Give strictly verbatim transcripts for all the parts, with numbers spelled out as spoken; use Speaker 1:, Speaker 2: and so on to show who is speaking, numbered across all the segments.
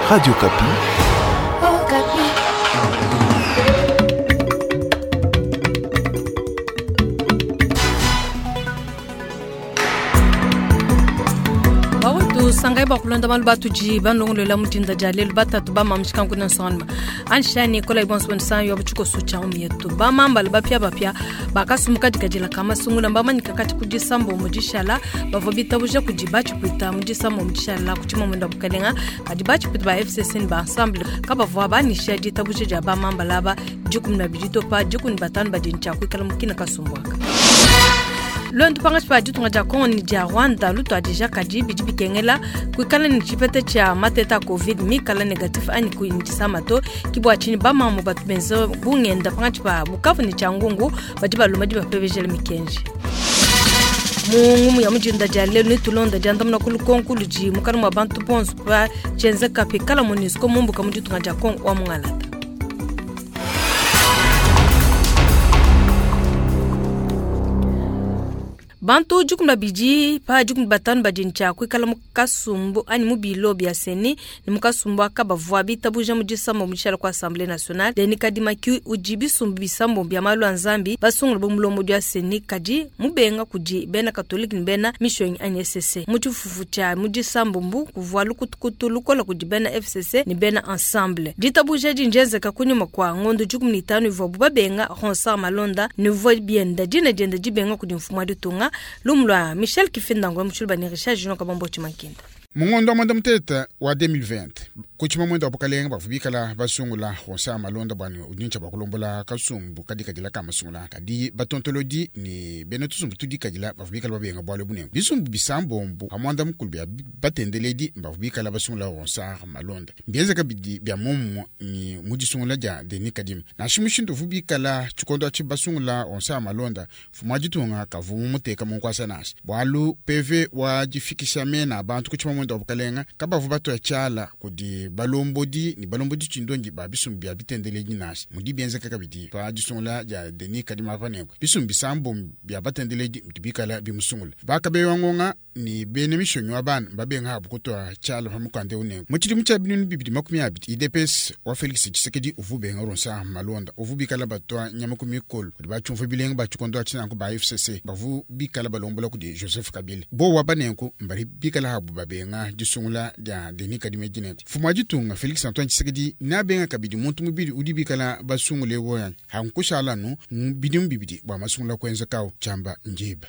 Speaker 1: Radio Okapi.
Speaker 2: Okapi.
Speaker 3: Bawetu sangai bakulonda malu batudi banlongolola mudinda dia lelu batatu bamamishika nkuna nsonganuma anshani kola ibonso bonisa yo buchiko sucha umietu bamambala bapya bapya bakasumuka dikadila kamasungula mbamanyika kati kudisambo mudishala bavua bitabuja kudi bachipwita mudisambo mudishala kuchima mwenda bukalenga kadi bachipwita ba F C C ni ba ensemble kabavua banisha ditabuja dia bamambala aba dikumi na bidi topa dikumi batanu badi ntshia kuikala mukina kasumbuaka. Lwendu pangatshi pa ditunga dia Congo ni dia Rwanda lutuadija kadi bidi bikengela kuikala ni tshipeta tshia mateta a COVID mikala negatif anyi kuindisama to kibua tshini bamamu batu benze bungenda pangatshi pa Bukavu ni Tshangungu badi balomba dibapepejela mikenji. Mu ngumu ya mudinda dia lelu nitulonda diandamuna ku lukonko ludi mukana mua bantu bonso pa tshienzeka pikala MONUSCO mumbuka mu ditunga dia Congo wa mungalata. Bantu dikumi babidi pa dikumi batanu badi ntshia kuikala mu kasumbu anyi mu bilo bia CENI ni mu kasumbu aka bavua bitabuja mu disambo mu tshiala ku Assemblée nationale. Denis Kadima ki udi bisumbu bisambo bia malu a Nzambi basungula bu mulombodi wa CENI kadi mubenga kudi bena Katolike ni bena Mission anyi S C C. Mu tshifufu tshia mu disambo mbu kuvua lukutukutu lukola kudi bena F C C ni bena Ensemble. Ditabuja dinjenzeka kunyuma kwa ngondo dikumi ni tanu ivuabu babenga Ronsard Malonda ni vua bienda dina dienda dibenga kudi mfumu wa ditunga. Lumlwa Michel Kifinda ngwe mushulu bani Richard Junior Kabambo Chimakinda.
Speaker 4: Mungondo wa mwenda muteta wa deux mille vingt kuchima mwenda wa bukalenga bavubikala basungula Ronsard Malonda bwani udincha bakulombola kasumbu kadikadila ka masungula kadi batontolodi ni bena tusumbu tudikadila bavubikala babenga bwalo bunengo bisumbu bisambombo hamwanda mukulu bya batendeledi bavubikala basungula Ronsard Malonda mbienzeka bidi bya momo ni mudisungula dia Denis Kadima nashi mushindu vubikala tshikondo atshi basungula Ronsard Malonda mfumu wa ditunga kavumu muteka munkwasa nasi bwalu P V wa difikisha mena abantu kuchima mwenda wa bukalenga kabavu batoya tshiala kudi balombodi ni balombodi tshindongi ba bisumbu bya bitendeledi nasi mudi bienzeka kabidi pa disungula dia Denis Kadima panengo bisumbu bisambo bya batendeledi mudi bikala bimusungula bakabewa ngonga ni bene mishonyi wa bana babenga habu kutoa tshiala pa mukanda unengo mu tshidimu tshia binunu bibidi makumi abidi U D P S wa Felix Tshisekedi uvu benga Ronsard Malonda uvu bikala batwa nyama ku mikolo kudi batshiumva bilenga ba tshikondo tshinanku ba F C C bavu bikala balombola kudi Joseph Kabila bo wa banenku mbali bikala habu babenga disungula dia Denis Kadima dinenku mfumu wa ditunga Felix Antoine Tshisekedi nabenga kabidi muntu mubidi udi bikala basungule woyani hankushala nu bidimu bibidi bua masungula kuenza kawo tshiamba njiba.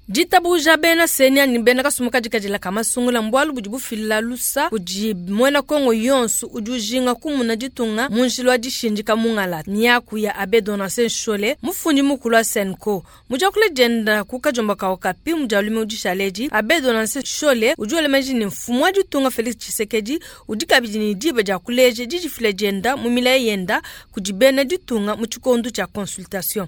Speaker 3: Ditabuja bena CENI ani bena kasumuka dikadila kamasungula mbwalu budi bufila lusa kudi mwena Kongo yonso udi ujinga kumuna ditunga munjila wa dishindika mungala miaku ya Abbé Donatien Nshole mufundi mukulu wa CENCO mudiakula dienda ku kajomba ka Okapi mudialume udishaledi. Abbé Donatien Nshole udi wela ni mfumu wa ditunga Felix Tshisekedi udi kabidi ni diba dia kuleja didifila dienda mu milayi yenda kudi bena ditunga mu tshikondo tshia consultation.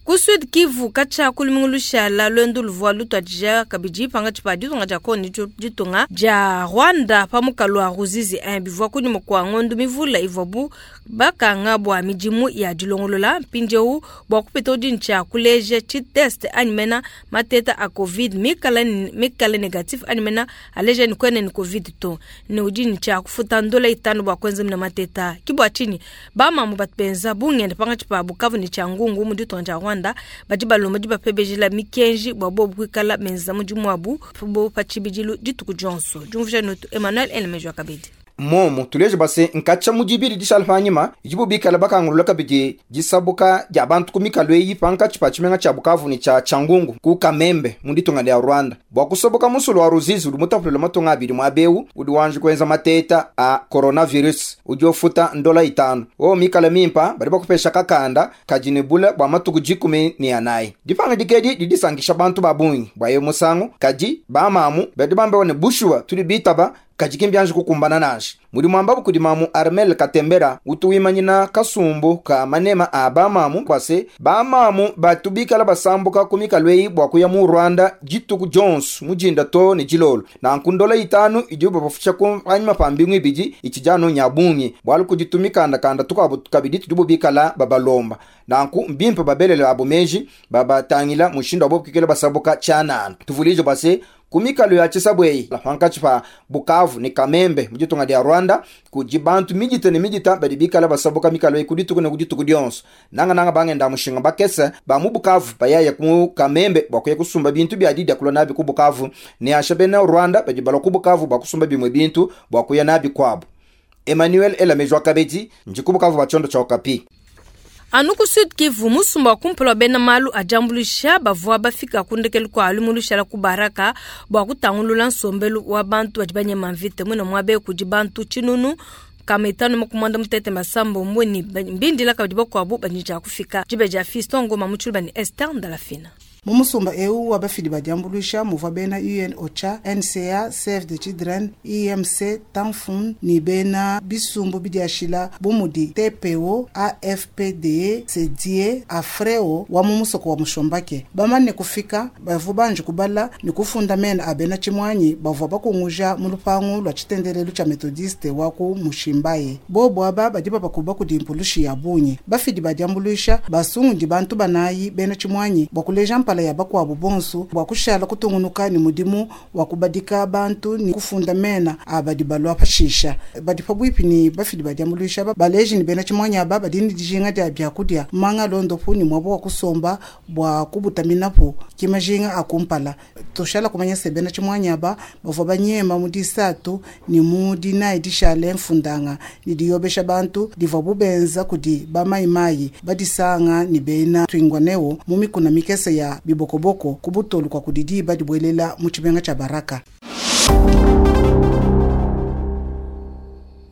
Speaker 3: Ku Sud Kivu katshia kulumingu lushala lwendu luvua lutuadija kabidi pangatshi pa ditunga dia Kongo ni ditunga dia Rwanda pa mukalu wa Ruzizi un bivua kunyuma kua ngondu mivula ivuabu bakanga bua midimu ya dilongolola mpindieu bua kupita udi ntshia kuleja tshiteste anyi mena mateta a COVID mikala mikala negatif anyi mena aleja ni kwene ni COVID to ne udi ntshia kufuta ndola itanu bua kuenza mina mateta kibua tshini bamamu batu benza bungenda pangatshi pa Bukavu ni Tshangungu mu ditunga dia Rwanda badi balomba dibapepejela mikenji bua bobu kuikala menza mudimu wabu bo pa tshibidilu dituku dionso. Diumvuija notu Emmanuel Elemejo kabidi.
Speaker 5: Momo tuleje base nkatsha mudibili dishala panyima idibo bikala bakangulula kabidi disabuka dia bantu ku mikalo eyi pankatshi pa tshimenga tshia Bukavu ni tshia Tshangungu ku Kamembe mu ditunga dia Rwanda bua kusoboka musulu wa Ruzizi udi mutapulula matunga abidi muabewu udi wanji kuenza mateta a coronavirus udi ofuta ndola itanu o mikala mimpa badi bakupesha kakanda kadi ne bula bua matuku dikumi ni anayi. Dipanga dikedi didisankisha bantu ba bungi bua ye musangu kadi bamamu badi bambewa ne bushuwa tudi bitaba kadi kimbianji kukumbana nashi mudimu ambabu kudi mamu Armel Katembera utu wimanyina kasumbu ka manema a bamamu kwase bamamu batu bikala basambuka ku mikalo eyi bua kuya mu Rwanda dituku dionso mujinda to ne dilolo nanku ndola itanu idibu bafusha ku panyima pa mbingu ibidi itshijanu nya bungi bualu kudi tumikandakanda tukuabu kabidi tudibu bikala babalomba nanku mbimpe babelele abo meji babatangila mushindu abo kikela basabuka tshianana tuvulije base. Ku mikalu ya tshisabu eyi pankatshi pa Bukavu ne Kamembe mu ditunga dia Rwanda kudi bantu midita ne midita badi bikala basabuka mikalu eyi ku dituku ne ku dituku dionso. Nangananga bangenda mushinga bakese ba mu Bukavu bayaya ku Kamembe bua kuya kusumba bintu bia didia kulua nabi ku Bukavu, ne asha bena Rwanda badi balua ku Bukavu bua kusumba bimue bintu bua kuya nabi kuabu. Emmanuel Elamejwa Kabedi ndi ku Bukavu ba tshiondo tshia Okapi.
Speaker 3: Anu ku Sud Kivu, musumba wa kumpala wa bena malu a diambuluisha bavua bafika ku ndekelu kua lumu lushala ku Baraka bua kutangulula nsombelu wa bantu badi banyema mvita muine muaba kudi bantu tshinunu kama itanu makumi muanda mutete masambombo ne mbindila kabidi bakuabu badi dia kufika diba dia Fiston Ngoma mu Tshiluba ne Esther Ndalafina.
Speaker 1: Mu musumba eu wa bafidi ba diambuluisha muvua bena U N OCHA, N C A, Save the Children, I M C, Tanfun ni bena bisumbu bidiashila bu mudi T P O, A F P D E, C D E, Afreo wa mu musoko wa Mushombake. Bamane kufika bavua banji kubala ni kufunda mena a bena tshimwanyi bavua bakunguja mu lupangu lwa tshitendelelu tshia Methodiste wa ku Mushimbaye. Bobo aba badi babakuba kudi mpulushi ya bungi. Bafidi ba diambuluisha basungundi bantu banayi bena tshimwanyi bua kuleja mpala ya bakuabu bonso bua kushala kutungunuka ni mudimu wa kubadika bantu ni kufunda mena abadi balwa pashisha. Badi pabwipi ni bafidi ba diambuluisha ba baleji ni bena tshimwanyi aba badi ni dijinga dia byakudia manga londopu ni mwabo wa kusomba bua kubutaminapo kimajinga akumpala. Toshala kumanya se bena tshimwanyi aba bavua banyema mu disatu ni mu dinayi dishale mfundanga ni diyobesha bantu divua bubenza kudi bamayimayi badisanga ni bena twingwaneo mu mikuna mikese ya bibokoboko kubutolu kwa kudidi badibwelela mu tshimenga tsha Baraka.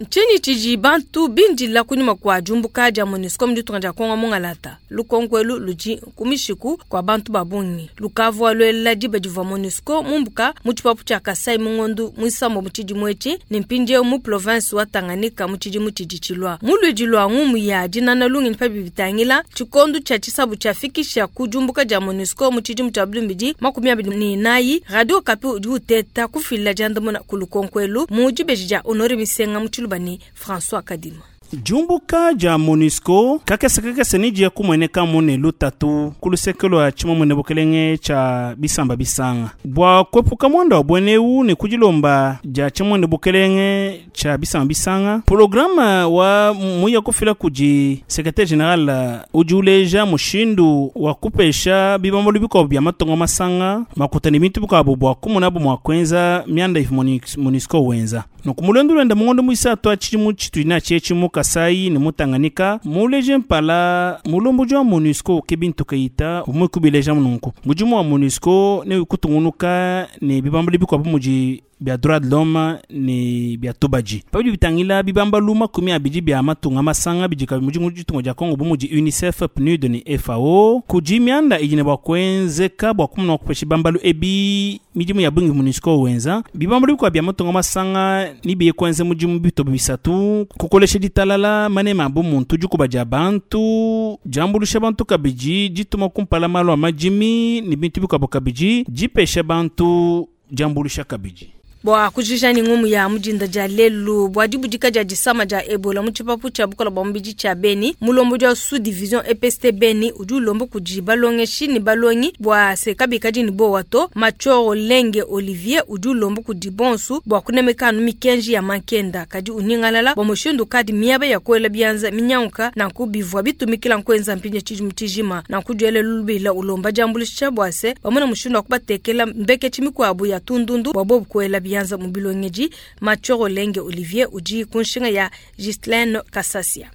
Speaker 3: Ntshinyi tshidi bantu bindila kunyima kua diumbuka dia MONUSCO mu ditunga dia Kongo mungalata. Lukonko elu ludi ku mishiku kua bantu ba bungi. Lukavua luela diba divua MONUSCO mumbuka mu tshipapu tshia Kasai mu ngondu muisambo mu tshidimu etshi ne mpindieu mu province wa Tanganyika mu tshidimu tshidi tshilua. Mu luidi lua ngumu ya dinana lungenyi pa bibitangila tshikondo tshia tshisabu tshiafikisha ku diumbuka dia MONUSCO mu tshidimu tshia bibili makumi abidi ne inayi, Radio Okapi udi uteta kufila diandamuna ku lukonko elu mu dibeji dia Honore Misenga mu Tshiluba ni François Kadima.
Speaker 6: Diumbuka dia MONUSCO kakese kakese ni dia kumweneka mune lutatu ku luseke lwa tshimamune bukelenge tshia bisamba bisanga. Bua kuepuka mwanda wa bweneu ne kudilomba dia tshimamune bukelenge tshia bisamba bisanga, programa wa muya kufila kudi secrétaire général udi uleja mushindu wa kupesha bibambalu bikuabu bia matongo masanga makuta ne bintu bikuabu bua kumonabu mua kuenza mianda ivu MONUSCO wenza. Nuku mulondu lwenda mungondo muisatu atshidimu tshitudi tshietshi mu Kasai ne mu Tanganyika, muleje mpala mulomboji wa MONUSCO ke bintu keita umukubileja mununku. Mudimu wa MONUSCO ne kutungunuka ne bibambalu bikuabu mudi bia droit de l'homme ne bia tobaji. Pabidi bitangila bibambalu makumi abidi bia matunga masanga bidika mudimu ditunga dia Kongo bu mudi UNICEF, P N U D ne F A O. Kudi mianda idi ne bua kuenzeka bua kumona kupesha bibambalu ebi midimu ya bungi MONUSCO wenza. Bibambalu bikuabu bia matunga masanga ni biye kuenza mudimu bitobo bisatu, kukolesha ditalala manema abu muntu dikuba dia bantu, diambulusha bantu kabidi, dituma kumpala malu a madimi ne bintu bikuabu kabidi, dipesha bantu diambulusha kabidi.
Speaker 3: Bua kujija ni ngumu ya mujinda dia lelu bua dibudika dia disama dia Ebola mu tshipapu tshia bukola bua mubidi tshia Beni, mulombo dia sous division E P S T Beni udi ulomba kudi balongeshi ne balongi bua se kabikadi ne bowa to. Machoro Lenge Olivier udi ulomba kudi bonsu bua kunemeka anu mikenji ya mankenda kadi uningalala bua mushindu kadi miaba ya kuela bianza minyanguka nanku bivua bitumikila nkuenza mpinje tshidimu tshijima nanku diele lubila ulomba diambulisha bua se bamona mushindu wa kubatekela mbeketshi mikuabu ya tundundu bua bobu kuela bianza mu bilongeji. Machoro Lenge Olivier udi kunshinga ya Ghislaine Kasasia.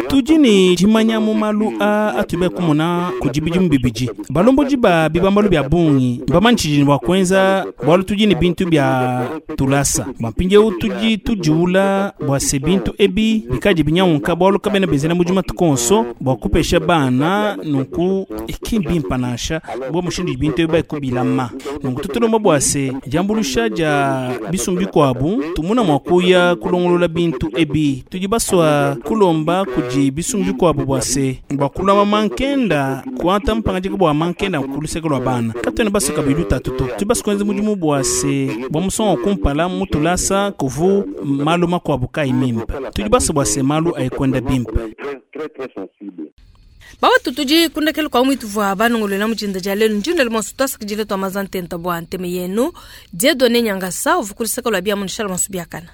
Speaker 6: Tudi ne dimanya mu malu a atube kumona kudi bidimu bibidi. Balomboji ba bibambalu bia bungi bamanyi tshidi ne bua kuenza bualu tudi ne bintu bia tulasa. Bua mpindieu tudi tudiwula bua se bintu ebi bikadi binyanguka bualu kabena benzela mudimu matuku onso bua kupesha bana nunku ki mbimpa nansha bua mushindu idi bintu ebi baikubilama. Nunku tutulomba bua se diambulusha dia bisumbu bikuabu tumuna mua kuya kulongolola bintu ebi. Tudi basua kulomba kudi bisumbu bikuabu bua se bua kulama mankenda kuata mpangadika bua mankenda ku luseke lua bana. Katuena basuka bidu tatu to. Tudi basu kuenza mudimu bua se bua musongo kumpala mutulasa kuvu malu makuabu kayi mimpe. Tudi basu bua se malu ayikwenda bimpe.
Speaker 3: Baba tutudi kundekelu kwa mwitu vwa banongolwela mujinda dia lelu njindele monso twasakidile twa mazantenta bwa nteme yenu Dieudonné Nyangasa uvukuliseka lwa bia munishala monso biakana.